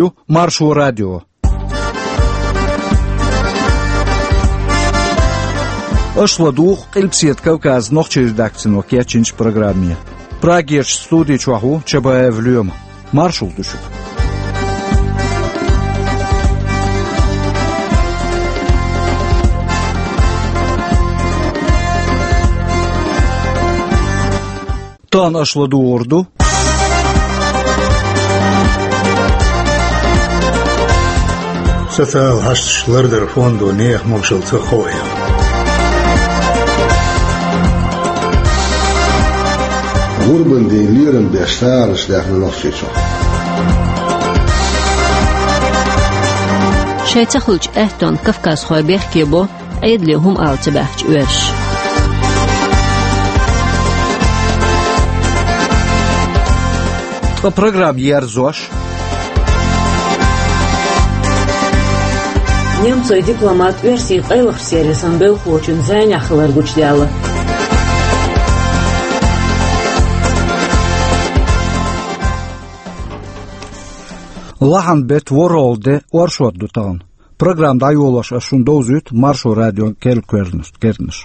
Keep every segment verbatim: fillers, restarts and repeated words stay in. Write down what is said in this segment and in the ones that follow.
Ю Маршо радио. Аша ладугӀу Къилбаседа Кавказан нохчийн редакцино кечйинчу программе. Прагерчу студи чохь ву Чабаев Лоьма. Маршалла ду шуьга. Тахана аша ладугӀур ду социал хьашташ лардар фондо нехан могушалла ца ховъян. ГӀурбан ден лерам беш сагӀанаш даьхна Нохчийчохь. Шайн ца хуьлучу аьттонна кавказхой бехке бо, Ӏедале хӀума ала ца баьхча оьрсаша. Ткъа программа ерзош. Немцойн дипломат оьрсийн къайлахчу сервисан белхалочун зӀенехь хилар гучудаьлла. Лахьан беттан ворхӀалгӀа де, оршот ду тахана. Программа дӀайолош ас шуна довзуьйту Маршо радион керла кхаьрнаш, кхаьрнаш.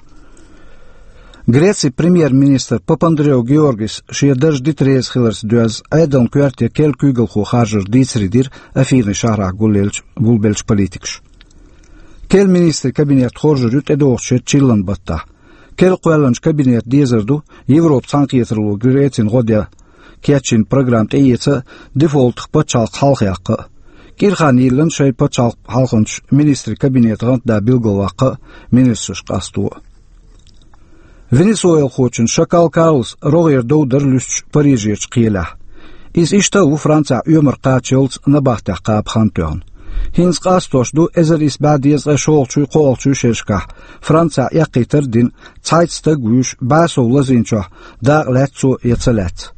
Грецин премьер-министр Папандреу Георгис шен дарж дита реза хиларца доьзна, Ӏедалан коьрте керла куьйгалхо харжар дийцаре дира Афинин шахьарахь гулъелча-, гулбеллачу политикаша. Керла министрийн кабинет хоржур ю тӀедогӀучу шеран чиллан баттахь. Керла кхоьллинчу кабинетан дезар ду Европан цхьаьнакхетаралло Грецина гӀо де кечйина программа тӀеэца а, дефолтах пачхьалкх хьалхаяккха а. КӀира хан йиллина шайн пачхьалкх хьалханчу министрийн кабинетан гӀантда билгалваккха а, министраш къасто а. Венесуэлахочун Шакал Карлос рогӀера дов дара луьстуш Парижерчу кхелехь. Иза иштта а ву Францехь оьмар кхачалц набахтехь кхаба хан тоьхна. ХӀинца къастош ду эзар исс бӀе дезткъе шолгӀачуй, кхоалгӀачуй шерашкахь Францехь эккхийтар а дина, цхьайтта стаг вуьйш, бӀе сов лазийначохь дакъа лаьцна цо я ца лаьцна.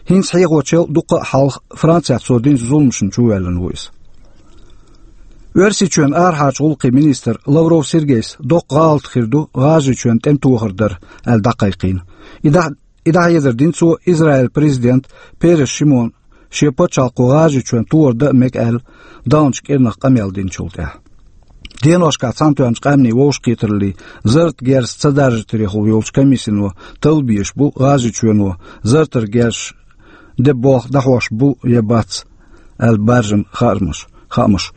ХӀинца хьехочул дуккха а хьалха Францехь цо динчу зуламашна чувоьллина ву иза. Оьрсийчоьнан арахьарчу гӀуллакхийн министр Лавров Сергейс доккха гӀалат хир ду ГӀажарийчоьнна тӀеман тохар дар аьлла дӀакхайкхийна. И дӀа-, и дӀахьедар дина цо Израилан президента Перес Шимона шен пачхьалкхо ГӀажарийчоьнна тохар дан а мега аьлла, даханчу кӀирнах къамел динчул тӀаьхьа. Деношкахь Цхьаьнатоьхначу Къаьмнийн вовшахкхетараллин зарратан герз ца даржийтарехула йолчу комиссино талла безаш бу ГӀажарийчоьно зарратан герзаш де болх дӀахьош бу я бац аьлла баржам хаамаш, хаамаш.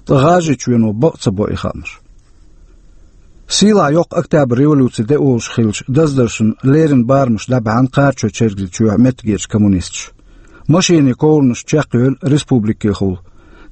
Ткъа ГӀажарийчоьно бакъ ца бо и хаамаш. Сийлахь йоккха Октябрь революци де олуш хиллачу даздаршна леррина барамаш дӀабаьхьна Кхарачой-Чергазийчоьнан меттигерчу коммунисташа. Машенийн ковранаш чекхйевлла республикехула,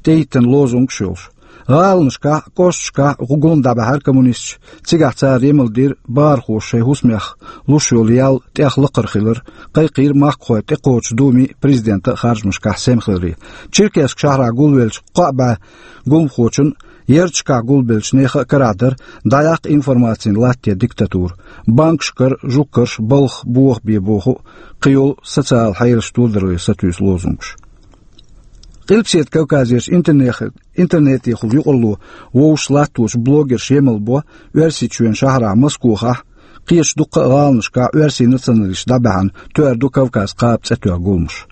тӀеиттина лозунгаш йолуш. ГӀаланашкахь а, кӀошташкахь а гулам дӀабаьхьира коммунисташа, цигахь цара емал дира бахархоша шайн хӀусамех луш йолу ял тӀех лакхара хилар, кхайкхийра махкахой тӀекхочучу Думин, президентан а харжамашкахь сема хиларе. Черкесск шахьарахь гулвеллачу кхоъ бӀе гуламхочун, ярташкахь гулбеллачу нехан а карахь дара дӀаяккха информацин латте диктатура, банкашкара жугташа балха, боха бен боху а, кхийолу социалан хьелаш тодорале сатуьйсу лозунгаш. Къилбаседа Кавказерчу интернехи-, интернетехула юкъарло вовшашца латточу блогерша емал бо Оьрсийчоьнан шахьарахь Москохахь, кхечу дуккха а гӀаланашкахь оьрсийн националисташ дӀабаьхьна «Тоьар ду Кавказ» кхаба цӀе тоьхна гуламаш.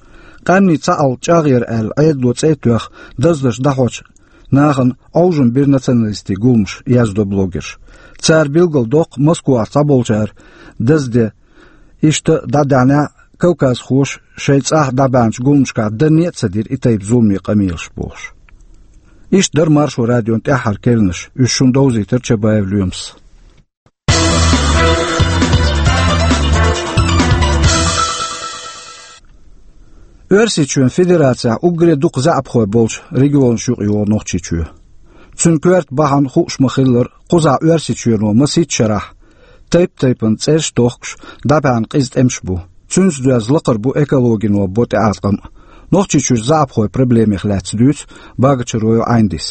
Къаьмнийн цхьаалла чӀагӀъяр аьлла Ӏедало цӀе а тоьхна, даздарш дӀахьочу нахана Ӏовжам бира националистийн гуламаш, яздо блогерша. Цара билгалдоккху Москохахь цхьаболчара дазде иштта дӀадаьхьнехь а, кавказхоша шайн цӀахь дӀабаьхьначу гуламашкахь данне а ца дира и тайпа зуламе къамелаш бохуш. Иштта дара Маршо радион тӀаьххьара керланаш, уьш шуна довзийтира Чабаев Лоьмас. Оьрсийчоьнан Федерацехь уггаре дукха заьӀапхой болчу регионашна юкъайогӀу Нохчийчоь. Цуьнан коьрта бахьана хууш ма-хиллара, кхузахь Оьрсийчоьно масийтта шарахь тайп-тайпана цӀераш а тохкуш, дӀабаьхьна къиза тӀемаш бу. Цуьнца доьзна лакхара бу экологино бо тӀеӀаткъам а. Нохчийчуьра заьӀапхойн проблемех лаьцна дуьйцу Багачароев Ӏайндис.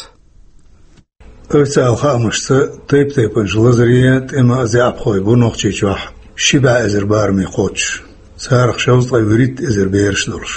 Официалан хаамашца, тайп-тайпанчу лазарийн а, тӀеман а заьӀапхой бу Нохчийчохь ши бӀе эзар бараме кхочуш. Царах шовзткъе вуьрхӀитта эзар бераш долуш.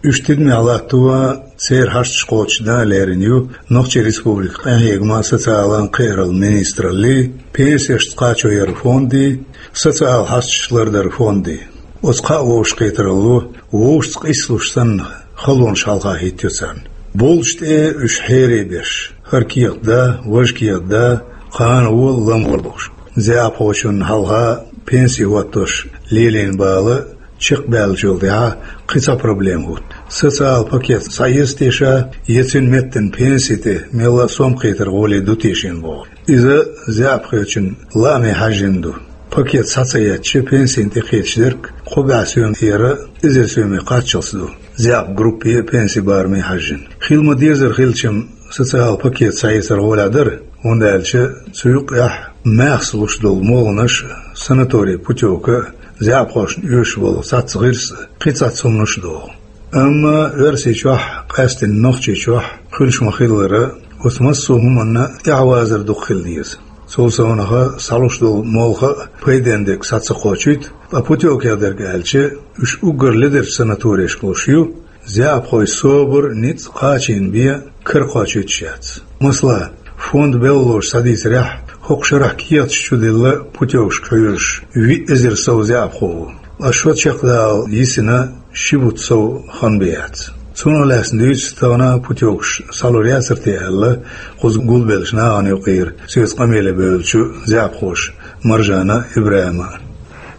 Уьш тидамехь латто а, церан хьашташ кхочушдан а лерина ю Нохчийн Республикан къинхьегаман, социалан а кхиараллин министраллий, пенсешца кхачо яран фондий, социалан хьашташ лардаран фондий. Оцу кхаа вовшахкхетаралло вовшашца къийсалуш санна халонаш хьалха хӀиттайо царна. Болчу тӀе уьш хьере беш, хӀара кехат да, важа кехат да, кхана вола, лам вола бохуш. ЗаьӀапхочунна хьалха пенси хӀоттош лелийна бала чекхбаьллачул тӀаьхьа кхин цхьа проблема хӀутту. Социал пакет схьаэца те ша, я цуьнан меттана пенси тӀе мелла а сом кхетар гӀоле ду те шена боху. Иза заьӀапхочун лааме хьаьжжина ду. Пакет схьа ца эцча, пенсина тӀекхеташ дерг кхо бӀе соьмера эзар соьме кхаччалц ду. ЗаьӀап группе а, пенси бараме а хьаьжжина. Хила ма-деззара хилча-м, социал пакет схьаэцар гӀолехь дара, хӀунда аьлча цу юкъехь мехса луш долу молханаш, санаторий путевка а, заьӀапхошна оьшуш болу цхьацца гӀирс а, кхин цхьацца хӀуманаш а догӀу. Амма Оьрсийчохь, къаьсттина Нохчийчохь хуьлуш ма-хиллара, оцу массо а хӀуманна тӀаьхьавазар дукха хила деза. Цул совнаха схьалуш долу молха а пайденна дерг схьа ца кхочуьйту, ткъа путевкех дерг аьлча, уьш уггар ледерчу санаторешка луш ю, заьӀапхойн собар, ницкъ кхачийна бен кара кхочуьйтуш яц. Масала, фонд белхалоша схьадийцарехь, хӀокху шарахь кехаташ чудилла путевкашка хьоьжуш виъ эзар сов заьӀапхо ву, ткъа шо чекхдала йисина ши бутт сов хан бен яц. Цунах лаьцна дуьйцу тахана путевкаш схьалур яцара те аьлла, кхуза гулбеллачу нахана юкъара соьца къамеле бевллачу заьӀапхоша Маржана а, ИбрахӀима а.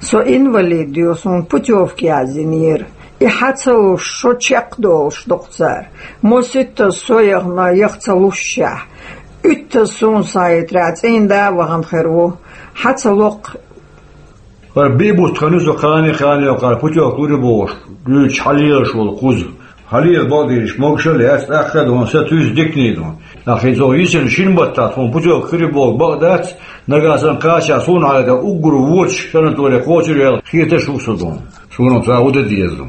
Со инвалид ю, суна путевка яздинера. И хьа ца луш, шо чекхдолуш ду-кх цара. Маситтаза со яхана, яха ца лушшехь. Уьттаза суна схьахетарехь, цӀийнда а вахана хир ву. Хьа ца ло-кх. ХӀара биъ бутт хан ю со кхане-кхане кхара путевка лур ю бохуш, дуьйцуш хьалелаш волу кхуза. Хьалела бакъдерг могуш а яц, тӀаккха а ду, са туьйсу дикане ду. Нах, хӀинца оха йисина шина баттахь тхуна путевка хир ю боху бакъ дац, нагахь санна кхачахь суна хьалха уггар воцуш санаторе кхочур яла хеташ ву со ду. Суна ца хӀу дан деза ду.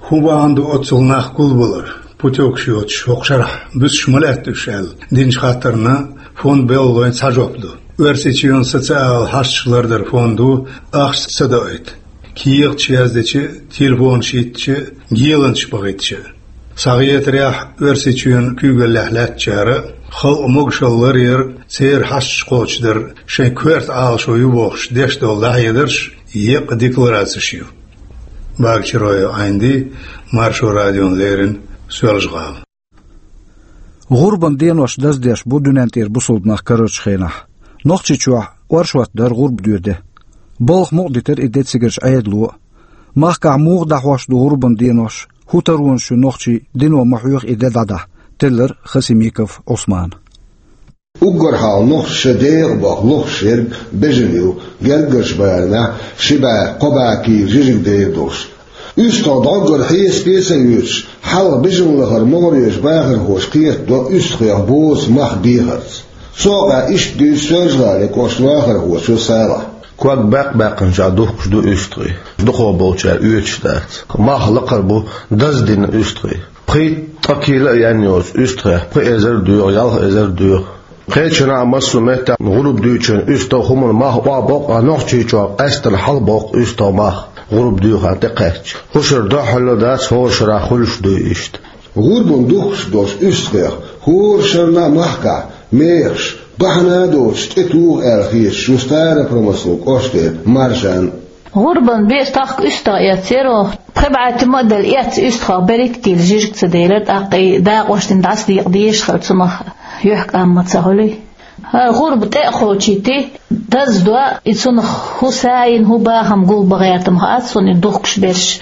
ХӀун бахьана ду оццул нах гулбалар? Путевкаш йоцуш хӀокху шарахь буьсуш ма лаьтта уьш аьлла динчу хаттарна фонд белхалойн цхьа жоп ду. Оьрсийчоьнан социал хьашташ лардаран фондо ахча ца доуьйту, кехаташ яздича, телефонаш йиттича, геланчаш бахийтича. Схьахетарехь, Оьрсийчоьнан куьйгаллехь лаьттачара халкъан могушалла ларъяр, церан хьашташ кхочушдар шайн коьрта Ӏалашо ю бохуш деш долу дӀахьедарш еккъа декларацеш ю. Багачароев Ӏайнди, Маршо радиона леррина, Соьлжа-ГӀала. ГӀурбан денош даздеш бу дуьнен тӀера бусалба нах карарчу хенахь. Нохчийчохь оршот дара гӀурба доь де. Балха мукъадитира и де цигарчу Ӏедало а. Махкахь муха дӀахьош ду гӀурбан денош, хӀун таронаш ю нохчийн, дино ма хьоьху и де дӀадахьа, теллира Хасимиков Ӏусмана. Уггар хьалха нохчаша дегӀан боху лохуш ерг бежана ю, гергарчу барамехь ши бӀе, кхо бӀе кийла жижиг дегӀ долуш. УьстагӀ дӀоггара хьесапе а ца оьцуш, хьалха бежана лахара могӀарерчу бахархоша кхетадо уьстагӀех боцу мах бехарца. Цу хьокъехь иштта дуьйцу Соьлжа-ГӀалин кӀоштан вахархочо Салахьа. Ког баьккх-баьккхинчохь духкуш ду уьстагӀий. Дукхахболчара оьцуш дац. Мах лакхара бу даздина уьстагӀий. Пхийтта-ткъа кийла а яьнна йоцу уьстагӀех пхи эзар доьху, ялх эзар доьху. Кхечанхьа массо а меттехь гӀурба дуьйчун уьстагӀ хӀуманан мах охьабоккху, а Нохчийчохь къаьсттина хьалабоккху уьстагӀ мах гӀурба дуьйхар тӀекхаьчча. Кху шарахь дуьххьарло дац, хӀора шарахь хуьлуш дуй иштта. ГӀурбан духкуш долчу уьстагӀех хӀора шарна а махкахь мехаш, бахьана а доцуш, тӀетуху аьлла хеташ ву Старопромыслан кӀоштера Маржана. ГӀурбан бен тахка уьстагӀ эцнера оха. Пхи бӀе туьма а делла, эцна уьстагӀех берриг а кийла жижиг ца делира, тӀаккха и дакъош дина дӀасадекъа дезаш хилла, цунах юьхькӀам ма ца хуьлий. ХӀара гӀурба тӀе а кхочуьйтий, даздо, и цунах хӀун са йина, хӀун бахам гулбан гӀертам хаац суна, и духкуш берш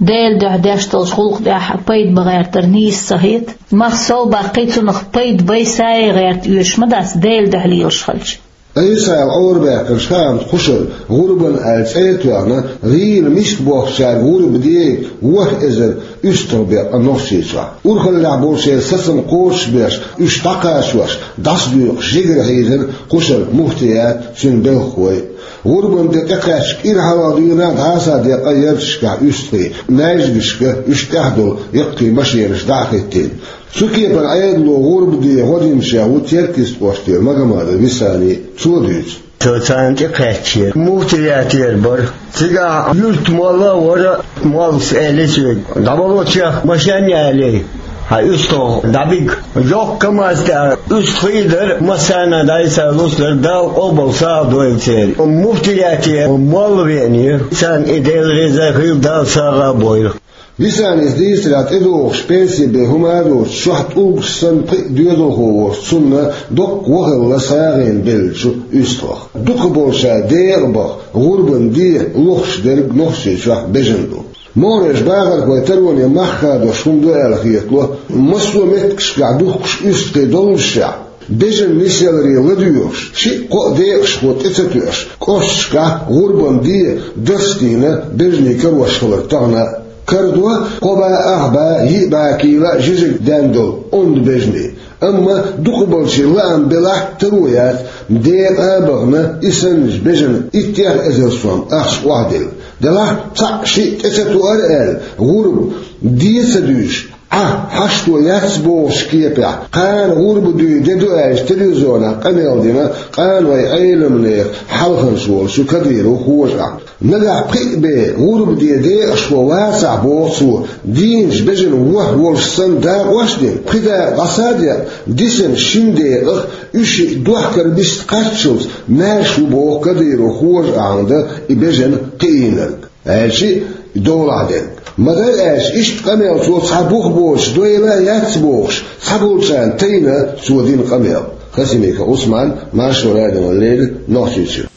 Делан дуьхьа деш долчу гӀуллакх тӀехь пайда бан гӀертар нийса ца хета. Мах сов баккхий, цунах пайда бай, са яй гӀерта оьшуш ма дац, Делан дуьхьа лелаш хилча. Ӏийсас Ӏорабаьккхинчу хаамца кхушара гӀурбан аьлла цӀе а тоьхна, гӀийла миска бохкучаьрга гӀурба дега ворхӀ эзар уьстагӀ бен кху Нохчийчохь. Урхаллехь болчеран сацам кхочушбеш, уьш дӀакхачош, дӀасадоькъуш жигара хьийзира кхушара муфтият а, цуьнан белхахой а. ГӀурбан де тӀекхаьчча кӀира хьалха дуьйна дӀасадекъна ярташкахь уьстагӀий, маьждигашка уьш тӀехь долу яккхий машенаш дӀа а хӀиттийна. Цу кепара Ӏедало гӀурба де гӀо динчех ву Теркйист кӀоштера Магомадов Висани. Цо дуьйцу. Цо царна тӀекхаьчча, муфтиятера бара. Цигахь юьртан молла а вара, моллас аьлла соьга: «ДӀавало чехка, машен ялий, хьан уьстагӀ дӀабига». Йоккха КамАЗ тӀехь уьстагӀий дара, массарна дӀасалуш дара, Дала къобал сагӀа дойла церан. Муфтиятера молла веанера, царна и Дела реза хила, Дала сагӀа а бойла. Висанис дийцарехь, тӀедогӀуш пенси бен хӀума а доцуш, чохь тӀулгаш санна пхиъ доьзалхо волчу цунна доккха вахалла схьагӀийна беллачу уьстагӀах. Дукхахболчара декъа баха, гӀурбан де лохуш дерг Нохчийчохь бежана ду. МогӀарерчу бахархойн тароне мах хадош хӀума ду аьлла хетало, массо а меттигашкахь духкуш уьстагӀий доллушехь, бежана нисъяларе ладоьгӀуш, шиъ-кхоъ декъашхо тӀе ца тоьуш, кӀошташкахь гӀурбан де дарстийна бежанийн карош хилар тахана а. Карадо кхо бӀе ах бӀе, йиъ бӀе кийла а жижиг даьнна долу онда бежанийн. Амма дукхахболчийн лаам белахь а, таро яц, декъа а бахана, и санначу бежана иттех эзар сом ахча охьадилла. Делахь а цхьаъ-шиъ тӀе ца тоьара аьлла, гӀурба де ца дуьйш, Ӏа, хьашто яц бохучу кепехь, кхана гӀурба дуй де ду аьлча, телевизионехь къамел дина къанойн Ӏеламнехан хьалханаш волчу Кадыровн хӀожа а. Нагахь пхиъ бен гӀурба де декъашхо вацахь, боху цо, дийначу бежана ворхӀ волуш санна дакъош а дина, пхи дакъа дӀаса а декъна, дисина шина декъах уьш шиъ дохкар бист кхаччалц маьрша ву, боху Кадыровн хӀожа а, хӀунда и бежана кхиийнарг. Аьлча, и долахь дерг. Ма-дарра аьлча, иштта къамел цо цхьа бух боцуш дойла а яц бохуш, цхьаболчарна тайна цо дина къамел. Хасимиков Ӏусман, Маршо радиона леррина, Нохчийчуьра.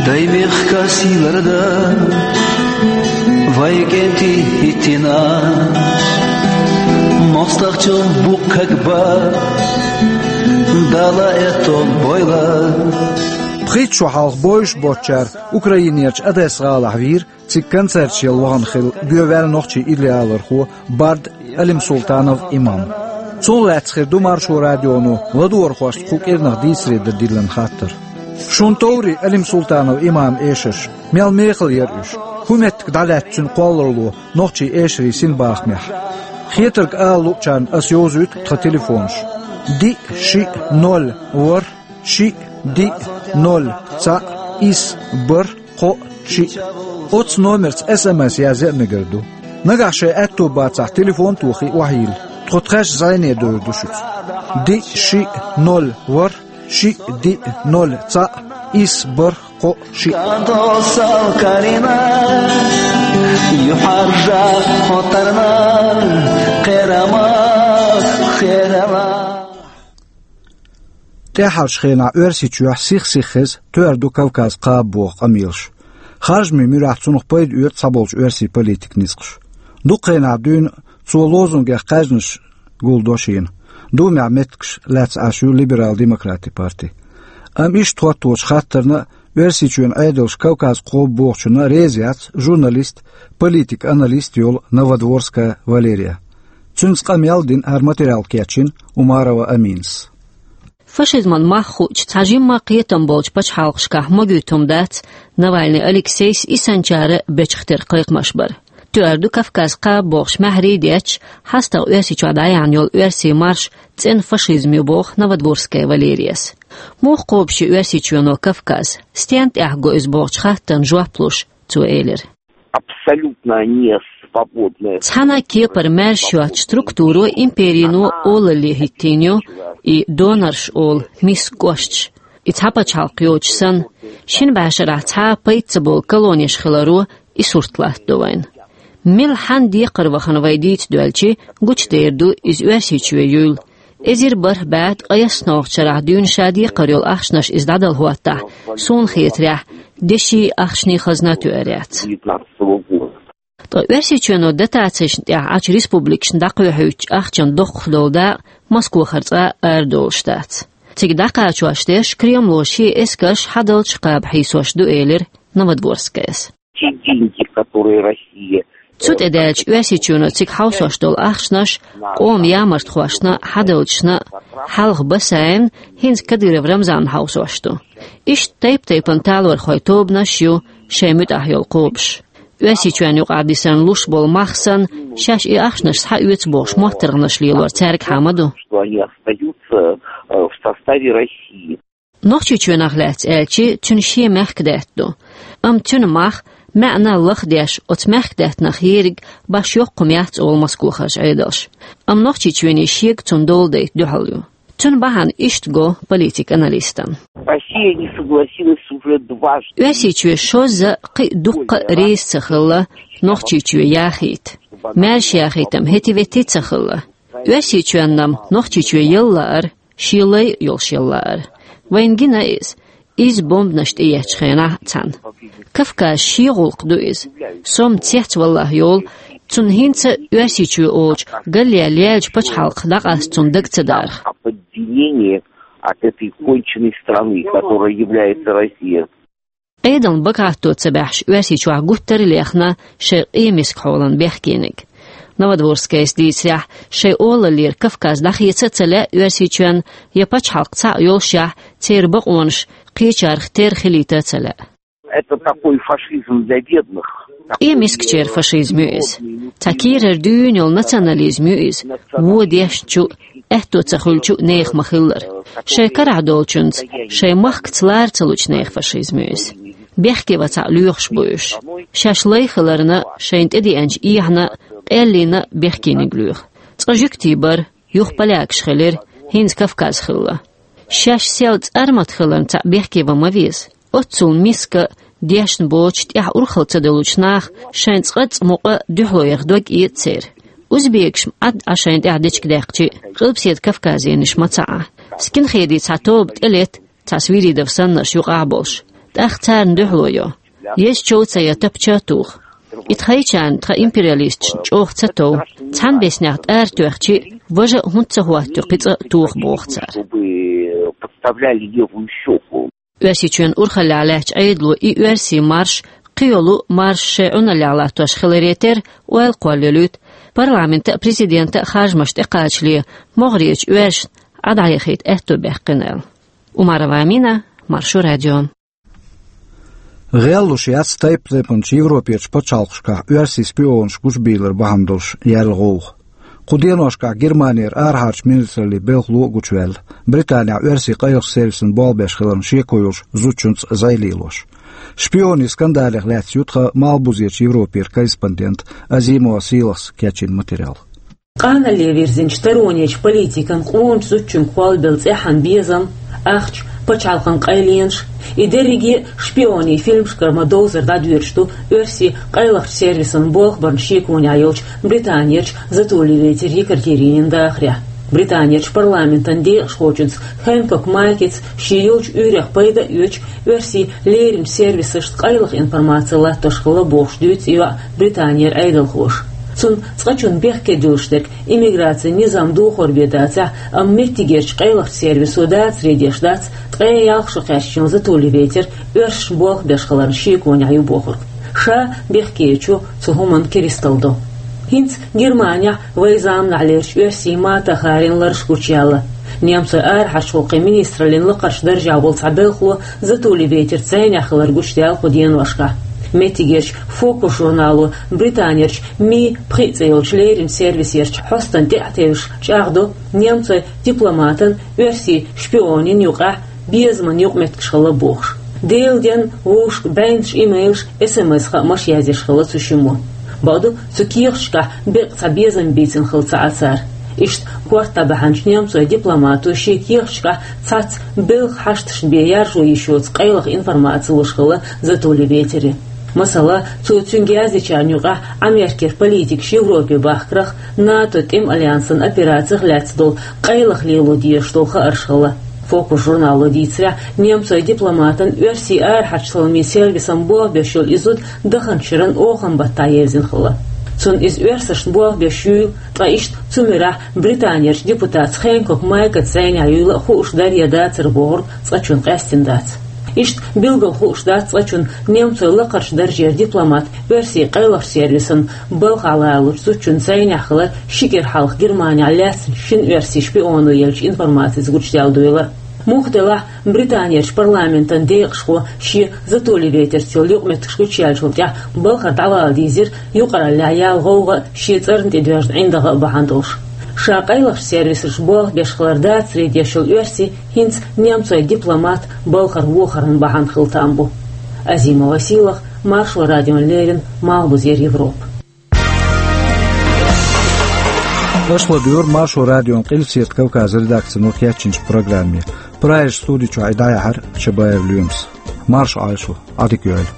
Дай мехкан сийларда, вай кӀентий хӀиттина, мостагӀчун буккаг бан, Дала эттон бойла. Пхийтта шо хьалха бовзуш боцчара Украинерчу Одесса-гӀалахь вийра, цига концерташ яла вахана хилла гоьваьлла нохчийн идеаллархо, бард Алим Султанов Имам. Цунах лаьцна хир ду Маршо радионо ладогӀархошца кху кӀирнах дийцаре дан диллина хаттар. Шуна товрий Алим Султанов Имаман эшарш? Мел мехала яра уьш? ХӀун меттиг дӀалаьцна цуьнан кхолларалло нохчийн эшарийн синбахамехь? Хетарг ала луучарна ас йовзуьйту тхан телефонаш: диъ, шиъ, ноль, ворхӀ, шиъ, диъ, ноль, цхьаъ, исс, бархӀ, кхоъ, шиъ. Оцу номерца эс эм эс язъян а мегар ду. Нагахь шайн аьтто бацахь, телефон а тохий, охьайилла. Тхо тхаьш зӀене довр ду шуьца. Диъ, шиъ, ноль, ворхӀ, шиъ, диъ, ноль, цхьаъ, исс, бархӀ, кхоъ, шиъ. Досал карина, юхьаржа хотарна, кхерамах, кхерала. ТӀаьххьарчу хенахь Оьрсийчохь сих-сиха хеза «Тоьар ду Кавказ» кхаба боху къамелаш. Харжамийн муьрехь цунах пайда оьцу цхьаболчу оьрсийн политикан ницкъаша. Дукха хенахь дуьйна цо лозунгех кхаьжнаш гулдо шена. Думехь меттигаш лаьцна Ӏаш ю либерал-демократийн парти. Амма иштта хӀотточу хаттарна а, Оьрсийчоьнан Ӏедалша Кавказ кхаба бохучунна а реза яц журналист, политик-аналист йолу Новодворская Валерия. Цуьнца къамел а дина, хӀара материал кечйина Умарова Аминас. Фашизман мах хуучу цхьа жимма кхетам болчу пачхьалкхашкахь могуьйту хӀума дац Навальный Алексейс, и санчара бечах тера кхайкхамаш бар. «Тоьар ду Кавказ» кхаба бохуш маьхьарий а детташ, хьастагӀа Оьрсийчохь дӀаяьхьна йолу оьрсийн марш цӀена фашизм ю, боху Новодворская Валерияс. Муха кхобуш ю Оьрсийчоьно Кавказ, стенна тӀехь го иза бохучу хаттарна жоп луш, цо элира: Абсолютно не свободная. Цхьана кепара маьрша йоцучу структуро, империно олалле хӀиттийна ю и донорш олу миска кӀошташ. И цхьа пачхьалкх йоцуш санна, шина бӀешарахь цхьа а пайда ца болу колонеш хиларо и сурт латтадо вайна. Мила хьанна декхар вахана вай дийца доьлча, гучудер ду иза Оьрсийчоь юйла. Эзар бархӀ бӀе ткъаесналгӀачу шарахь дуьйна ша декхар йолу ахчанаш иза дӀадала хӀоттахь, суна хетарехь, деши ахчанийн хазна тоьар яц. Девятнадцатого года. Ткъа Оьрсийчоьно дотацешна тӀехь Ӏачу республикашна дӀакхоьхьуьйтучу ахчанан доккхах долу дакъа Москохара цкъа а арадолуш дац. Цига дӀакхачош дерш Кремло шен эскарш хьадалча кхаба хьийсош ду, элира Новодворскаяс. Те деньги, которые Россия... Цу тӀе даьлча, Оьрсийчоьно цига хьовсош долу ахчанаш къоман ямартхошна а, хьадалчашна а хьалха басайна, хӀинца Кадыров Рамзанна хьовсош ду. Иштта тайп-тайпана талорхойн тобанаш а ю шайн муьтӀахь йолу кхобуш. Оьрсийчоьнна юкъахь дисарна луш болу мах санна, шаьш и ахчанаш схьаоьцу бохуш моттаргӀанаш лелор цаьргахьа ма ду. Что они остаются, э, в составе России. Нохчийчоьнах лаьцна аьлча, цуьнан шен мехкадаьтта ду. Амма цуьнан мах, маьӀна лахдеш, оцу мехкадаьттанах ерриг баш йоккха хӀума яц, олу Москохарчу Ӏедалша. Амма Нохчийчоьне шега цунна дола дайта дуьхьал ю. Цуьнан бахьана иштта го политик аналистан. Россия не согласилась уже дважды. Оьрсийчоь шозза кхин а дуккха а реза ца хилла Нохчийчоь яхийта. Маьрша яхийта-м хӀетте-ветте ца хилла. Оьрсийчоьнна-м Нохчийчоь яла лаар, шен лай йолуш яла лаар. Вайна гина иза, иза бомбанаш тӀееттачу хенахь цхьаьна. Кавказ шен гӀуллакх ду иза. Со-м цецваллахь йолу, цунна хӀинца Оьрсийчоь олучу галле леллачу пачхьалкхах дӀакъаста цунна дага ца дарх. От этой конченной страны, которая является Россия. Ӏедална багахьатто ца баьхьаш, Оьрсийчохь гуттар а лехна шайн къемиска хьолан бехкениг. Новодворскайс дийцарехь, шайн олаллера Кавказ дӀахеца а ца лаьа Оьрсийчоьнна, я пачхьалкх цхьаъ йолушехь, церан бакъонаш кхечарх терра хилийта а ца лаьа. Это такой фашизм для бедных. Къемискачеран фашизм ю иза. Цхьа кийрара дуьйна йолу национализм ю иза. Вон дешначу, аьтто ца хуьлучу нехан ма-хиллара. Шайн карахь долчуьнца, шайн махкаца лара ца лучу нехан фашизм ю иза. Бехке вацахь лоьхуш бу уьш. Шаьш лай хиларна, шайна тӀедеанчу эхьана, къаьллина бехкениг лоьху. Цкъа жуьгтий бара, юха полякаш хилира, хӀинца Кавказ хилла. Шаьш сел цӀармат хиларна цхьаъ бехке ван ма веза. Оццул миска, дешна боцуш, тӀехь урхалла ца долучу наха шайн цкъацкъа мукъа дуьхьало яха дог эца церан. Узбекаш-м Ӏад Ӏа шайна тӀехь дечиг даьккхича, Къилбаседа Кавказенаш ма ца Ӏа. Скинхедийн цхьа тоба тӀелетта, цхьа Свиридов саннарш юкъахь а болуш. ТӀаккха царна дуьхьало йо. Еза чов ца ян тапча а туху. И тхайчарна, тхан империалисташна чӀогӀа ца тов. Цхьана беснех тӀара тоьхча, важа а хӀунда ца хӀоттайо кхин цкъа а тоха боху цара. Чтобы подставляли левую щеку. Оьрсийчоьнан урхаллехь лаьттачу Ӏедало и оьрсийн марш, кхин йолу марш шайн Ӏуналлехь латтош хиларе терра, ойла кхоллаелуьйту, парламентан а, президентан а харжамаш тӀекхачале, могӀарерчу оьрсашна Ӏа дӀаяхийта аьтто баьккхина аьлла. Умарова Амина, Маршо радио. ГӀеллуш яц тайп-тайпанчу Европерчу пачхьалкхашкахь оьрсийн шпионаш гучубийлар бахьана долуш яьлла гӀовгӀа. Кху деношкахь Германера арахьарчу министраллин белхало а гучуваьлла, Британехь оьрсийн къайлахчу сервисан болх беш хиларна шеко йолчу зудчуьнца зӀе лелош. Шпионийн скандалех лаьцна ю тхан Малхбузерчу Европера корреспондент Азимова Сийлахьс кечйина материал. Къанале вирзинчу таронечу политикан къоначу зудчуьнга кхоллабелла цӀеххьана безам, ахча, пачхьалкхан къайленаш, и дерриге а шпионийн фильмашкара ма-довзара дӀадоьрзуш ду оьрсийн къайлахчу сервисан болх барна шеконехь йолчу Британерчу Затулевейтер Екатеринин дахарехь. Британерчу парламентан декъашхочуьнца Хэнкок Майкица шен йолчу уьйрех пайда а оьцуш, оьрсийн леринчу сервисашна къайлаха информаци латтош хилла бохуш дуьйцу и йоӀ Британера Ӏедалхоша. Цунна цкъачунна бехке дуьллуш дерг иммиграцин низам духар бен дацахь, амма меттигерчу къайлахчу сервисо дацаре деш дац, ткъе ялх шо кхаьчначу Затулевейтер оьрсашна болх беш хиларна шеконехь ю бохург. Ша бехкечу цу хӀуманна кристалл до. ХӀинца Германехь вайн заманахьлерчу оьрсийн Мата Хари лараш гучуяьлла. Немцойн арахьарчу гӀуллакхийн министраллин лакхарчу даржехь волу цхьа белхало Затулевейтерца зӀенехь хилар гучудаьлла кху деношкахь. Меттигерчу «Фокус» журнало Британерчу Ми пхиъ цӀе йолчу леринчу сервисерчу хьостана тӀе а тевжаш чӀагӀдо немцойн дипломатан, оьрсийн шпионийн юкъахь безаман юкъаметтигаш хилла бохуш. Делан денна вовшашка бӀеннаш имейлаш, эс-эм-эс хаамаш язъеш хилла цу шиммо. Бакъду, цу кехаташкахь беккъа цхьа безам бийцина хилла ца Ӏа цара. Иштта корта бахьанчу немцойн дипломато шен кехаташкахь цхьацца белхан хьашташна бен яржо йиш йоцу къайлаха информаци луш хилла Затулевейтере. Масала, цо цуьнга яздечарна юкъахь Америкера политикаш Европе бахкарх, НАТО тӀеман альянсан операцих лаьцна долу къайлаха лело дезаш долу хаарш хилла. «Фокус» журнало дийцарехь, немцойн дипломатан оьрсийн арахьарчу саламийн сервисан болх беш йолу и зуда даханчу шеран оханан баттахь евзина хилла. Цунна иза оьрсашна болх беш юйла, ткъа иштта цу муьрехь Британерчу депутатца Хэнкок Майкаца зӀенехь юйла а хууш дара я дацара бохург цкъачунна къаьстина дац. Иштта билггал хууш дац цкъачунна немцойн лакхарчу даржера дипломат оьрсийн къайлахчу сервисан балхахь лалучу зудчуьнца зӀенехь хилар ши кӀира хьалха Германехь лаьцначу шина оьрсийн шпионо еллачу информацица гучудаьлла дуйла. Муха делахь, Британерчу парламентан декъашхо шен Затулевейтерца йолу юкъаметтигаш гучуяьллачул тӀаьхьа балхара дӀавала дийзира юкъараллехь яьлла гӀовгӀа а, шен цӀарна тӀедоьжна ӀиндагӀа а бахьана долуш. Ша къайлахчу сервисаша болх беш хилар дацаре деш йолу оьрси хӀинца немцойн дипломат балхара вохаран бахьана хила там бу. Азимова Сийлахь, Маршо радиона леррина, Малхбузера Европа. Аша ладугӀура Маршо радион Къилбаседа Кавказ редакцино кечйинчу программе. Прагера студи чохь и дӀаяьхьира Чабаев Лоьмас. Марша Ӏойла шу, Ӏадика йойла.